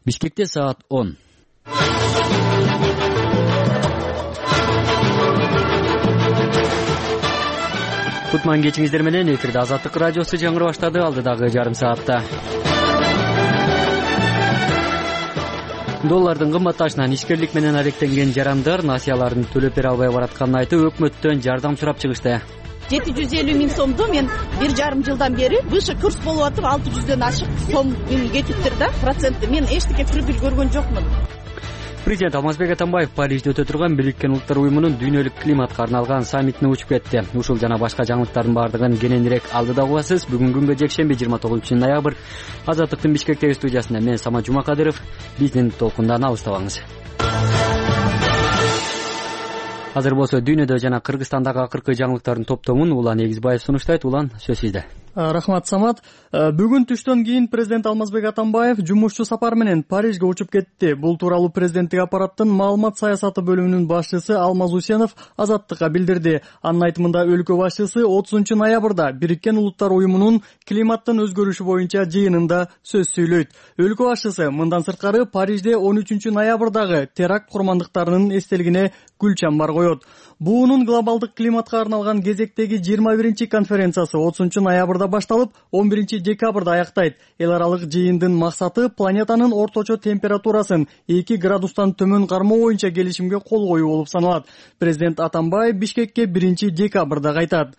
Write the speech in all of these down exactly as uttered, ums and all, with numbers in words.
Бишкекте саат он. Кутман кечиңиздер менен эфирде Азаттык радиосу жаңыры баштады. Алдыдагы жарым саатта доллардын кымбатташынан ишкерлик менен алектенген жарандар насыяларын төлөп бере албай баратканын айтып, өкмөттөн жардам сурап чыгышты. жети жүз элүү миң сомду мен бир жарым жылдан бери выше курс болуп атып алты жүздөн ашык сом кетиптир да, процентти. Мен эчтеке прибыль көргөн жокмун. Президент Алмазбек Атамбаев Парижде өтө турган Бириккен Улуттар уюмунун дүйнөлүк климатка арналган саммитине учуп кетти. Ушул жана башка жаңылыктардын баардыгын кененирээк алдыда угасыз. Бүгүнкү күнгө жекшемби жыйырма тогузунчу ноябрь. Азаттыктын Бишкектеги студиясында мен Самат Жумакадыров. Биздин толкундан алыстабаңыз. Азыр болсо дүйнөдө жана Кыргызстандагы акыркы жаңылыктардын топтомун Улан Эгизбаев сунуштайт. Улан, сөз сизде. Рахмат, Самат. Бүгүн түштөн кийин президент Алмазбек Атамбаев жумушчу сапар менен Парижге учуп кетти. Бул тууралуу президенттик аппараттын маалымат саясаты бөлүмүнүн башчысы Алмаз Усенов Азаттыкка билдирди. Анын айтымында өлкө башчысы отузунчу ноябрда Бириккен Улуттар уюмунун климаттын өзгөрүшү боюнча жыйынында сөз сүйлөйт. Өлкө башчысы мындан сырткары Парижде он үчүнчү ноябрдагы теракт курмандыктарынын эстелигине гүл чамбар коет. Буунун глобалдык климатка арналган кезектеги жыйырма биринчи конференциясы отузунчу ноябрда башталып, он биринчи декабрда аяктайт. Эл аралык жыйындын максаты планетанын орточо температурасын эки градустан төмөн кармоо боюнча келишимге кол коюу болуп саналат. Президент Атамбаев Бишкекке биринчи декабрда кайтат.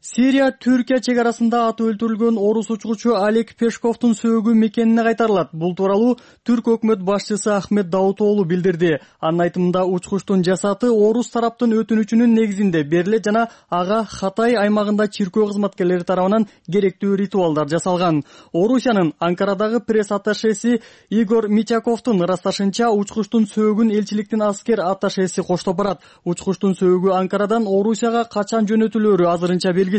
Сирия Түркия чек арасында атып өлтүрүлгөн орус учкучу Олег Пешковдун сөөгү мекенине кайтарылат. Бул тууралуу Түрк өкмөт башчысы Ахмет Давутоглу билдирди. Анын айтымында учкучтун жасаты орус тараптын өтүнүчүнүн негизинде берилет жана ага Хатай аймагында чиркөө кызматкерлери тарабынан керектүү ритуалдар жасалган. Орусиянын Анкарадагы пресс атташеси Игорь Митяковдун ырасташынча учкучтун сөөгүн элчиликтин аскер атташеси коштоп барат. Учкучтун сөөгү Анкарадан Орусияга качан жөнөтүлөөрү азырынча белгисиз.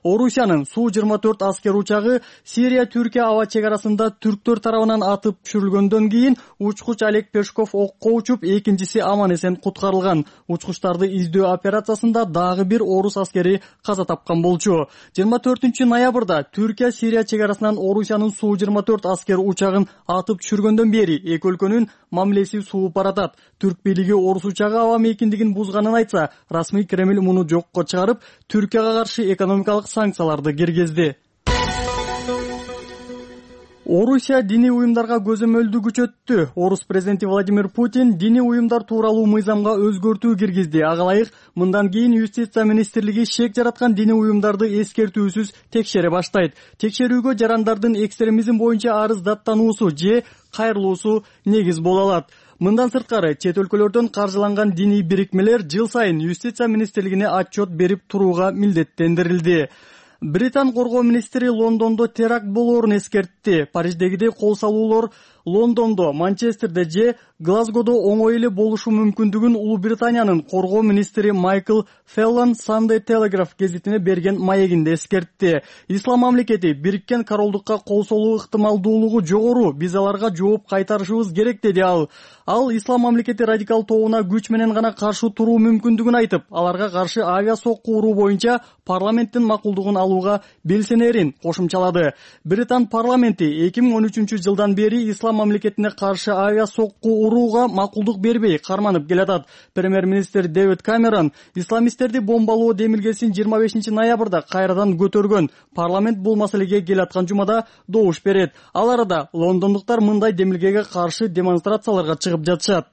Орусиянын Су жыйырма төрт аскер учагы Сирия Түркия аба чек арасында түрктөр тарабынан атып түшүрүлгөндөн кийин учкуч Олег Пешков окко учуп, экинчиси аман эсен куткарылган. Учкучтарды издөө операциясында дагы бир орус аскери каза тапкан болчу. жыйырма төртүнчү ноябрда Түркия Сирия чек арасынан Орусиянын Су жыйырма төрт аскер учагын атып түшүргөндөн бери эки өлкөнүн мамилеси сууп баратат. Түрк бийлиги орус учагы аба мейкиндигин бузганын айтса, расмий Кремль муну жокко чыгарып, Түркияга каршы экономикалык санкцияларды киргизди. Орусия диний уюмдарга көзөмөлдү күчөттү. Орус президенти Владимир Путин диний уюмдар тууралуу мыйзамга өзгөртүү киргизди. Ага ылайык мындан кийин юстиция министрлиги шек жараткан диний уюмдарды эскертүүсүз текшере баштайт. Текшерүүгө жарандардын экстремизм боюнча арыз даттануусу же кайрылуусу негиз боло алат. Мындан сырткары чет өлкөлөрдөн каржыланган диний бирикмелер жыл сайын юстиция министрлигине отчет берип турууга милдеттендирилди. Британ коргоо министри Лондондо теракт болоорун эскертти. Париждегидей кол салуулар Лондондо, Манчестерде же Глазгодо оңой эле болушу мүмкүндүгүн Улуу Британиянын коргоо министри Майкл Феллон Sunday Telegraph гезитине берген маегинде эскертти. Ислам мамлекети Бириккен Королдукка кол салуу ыктымалдуулугу жогору, биз аларга жооп кайтарышыбыз керек деди ал. Ал Ислам мамлекети радикал тобуна күч менен гана каршы туруу мүмкүндүгүн айтып, аларга каршы авиа сокку уруу боюнча парламенттин макулдугун алууга белсенерин кошумчалады. Британ парламенти эки миң он үчүнчү жылдан бери Ислам мамлекетине каршы авиа сокку урууга макулдук бербей карманып келатат. Премьер-министр Дэвид Камерон исламисттерди бомбалоо демилгесин жыйырма бешинчи ноябрда кайрадан көтөргөн. Парламент бул маселеге келаткан жумада добуш берет. Ал арада лондондуктар мындай демилгеге каршы демонстрацияларга чыгып жатышат.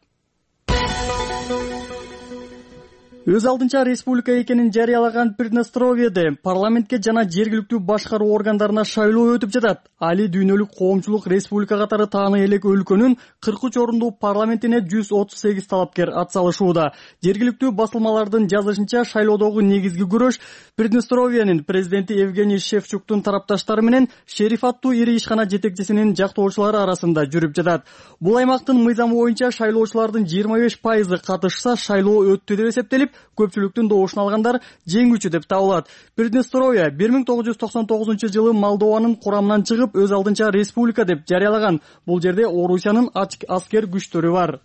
Өз алдынча республика экенин жарыялаган Приднестровьеде парламентке жана жергиликтүү башкаруу органдарына шайлоо өтүп жатат. Али дүйнөлүк коомчулук республика катары тааны элек өлкөнүн кырк үч орундуу парламентине жүз отуз сегиз талапкер ат салышууда. Жергиликтүү басылмалардын жазышынча шайлоодогу негизги күрөш Приднестровьенин президенти Евгений Шевчуктун тарапташтары менен Шериф аттуу ири ишкана жетекчисинин жактоочулары арасында жүрүп жатат. Бул аймактын мыйзамы боюнча шайлоочулардын жыйырма беш пайызы катышса шайлоо өттү деп эсептелип, көпчүлүктүн добушун алгандар жеңүүчү деп табылат. Приднестровье бир миң тогуз жүз токсон тогузунчу жылы Молдованын курамынан чыгып, өз алдынча республика деп жарыялаган. Бул жерде Орусиянын аскер күчтөрү бар.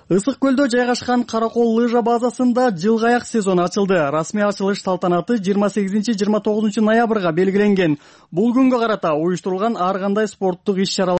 Ысык көлдө жайгашкан Каракол лыжа базасында жылгы аяк сезону ачылды. Расмий ачылыш салтанаты жыйырма сегизинчи жыйырма тогузунчу ноябрга белгиленген. Бул күнгө карата уюштурулган ар кандай спорттук иш-чаралар